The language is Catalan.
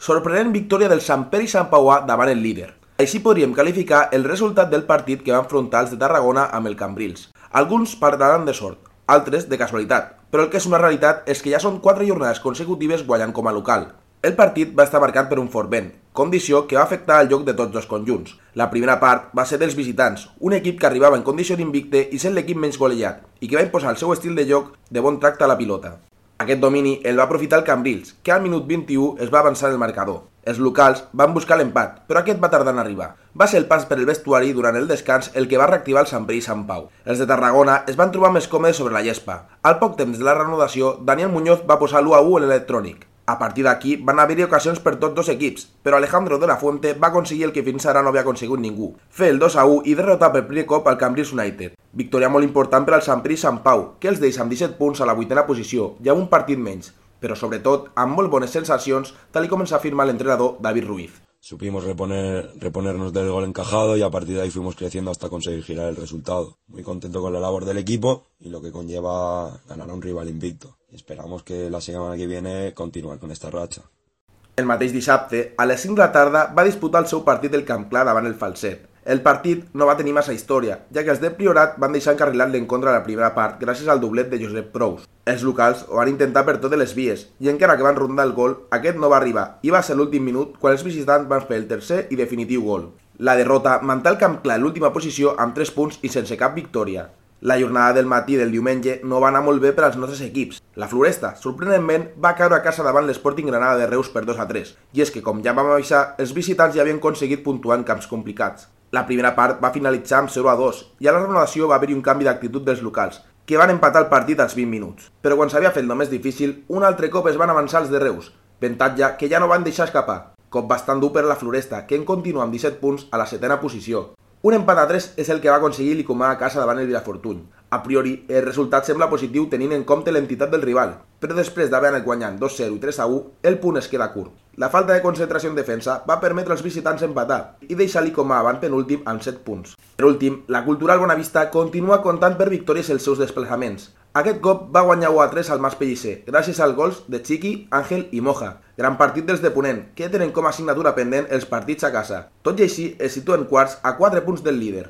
Sorprenent victòria del Sant Pere i Sant Pauà davant el líder. Així podríem qualificar el resultat del partit que va enfrontar els de Tarragona amb el Cambrils. Alguns parlaran de sort, altres de casualitat, però el que és una realitat és que ja són 4 jornades consecutives guanyant com a local. El partit va estar marcat per un fort vent, condició que va afectar el joc de tots dos conjunts. La primera part va ser dels visitants, un equip que arribava en condició d'invicte i sent l'equip menys golejat, i que va imposar el seu estil de joc de bon tracte a la pilota. Aquest domini el va aprofitar el Cambrils, que al minut 21 es va avançar el marcador. Els locals van buscar l'empat, però aquest va tardar en arribar. Va ser el pas per el vestuari durant el descans el que va reactivar el Sant Pere i Sant Pau. Els de Tarragona es van trobar més còmodes sobre la gespa. Al poc temps de la reanudació, Daniel Muñoz va posar l'1-1 en l'electrònic. A partir d'aquí van haver-hi ocasions per tots dos equips, però Alejandro de la Fuente va aconseguir el que fins ara no havia aconseguit ningú, fer el 2-1 i derrotar per primer cop al Cambrils United. Victòria molt important per al Sant Pere i Sant Pau, que els deixa amb 17 punts a la 8ª posició i amb un partit menys, però sobretot amb molt bones sensacions, tal com ens afirma l'entrenador David Ruiz. Supimos reponernos del gol encajado y a partir de ahí fuimos creciendo hasta conseguir girar el resultado. Muy contento con la labor del equipo y lo que conlleva ganar a un rival invicto. Y esperamos que la semana que viene continuar con esta racha. El mateix dissabte, a les 5 de la tarda, va disputar el seu partit del Camp Clar davant el Falset. El partit no va tenir massa història, ja que els de Priorat van deixar encarrilat l'encontre a la primera part gràcies al doblet de Josep Prous. Els locals ho van intentar per totes les vies, i encara que van rondar el gol, aquest no va arribar, i va ser l'últim minut quan els visitants van fer el tercer i definitiu gol. La derrota manté el Camp Clar en l'última posició amb 3 punts i sense cap victòria. La jornada del matí del diumenge no va anar molt bé per als nostres equips. La Floresta, sorprenentment, va caure a casa davant l'Sporting Granada de Reus per 2-3, i és que, com ja vam avisar, els visitants ja havien aconseguit puntuar en camps complicats. La primera part va finalitzar amb 0-2, i a la renovació va haver-hi un canvi d'actitud dels locals, que van empatar el partit als 20 minuts. Però quan s'havia fet el més difícil, un altre cop es van avançar els de Reus, avantatge que ja no van deixar escapar. Cop bastant dur per la Floresta, que en continua amb 17 punts a la 7ª posició. Un empat a 3 és el que va aconseguir l'Icomà a casa davant el Vilafortuny. A priori, el resultat sembla positiu tenint en compte l'entitat del rival, però després d'haver anat guanyant 2-0 i 3-1, el punt es queda curt. La falta de concentració en defensa va permetre als visitants empatar i deixar l'Icomà avant penúltim amb 7 punts. Per últim, la Cultural Bonavista continua comptant per victòries els seus desplaçaments. Aquest cop va guanyar 1-3 al Mas Pellicer, gràcies als gols de Chiqui, Àngel i Moja. Gran partit dels de Ponent, que tenen com a assignatura pendent els partits a casa. Tot i així, es situen quarts a 4 punts del líder.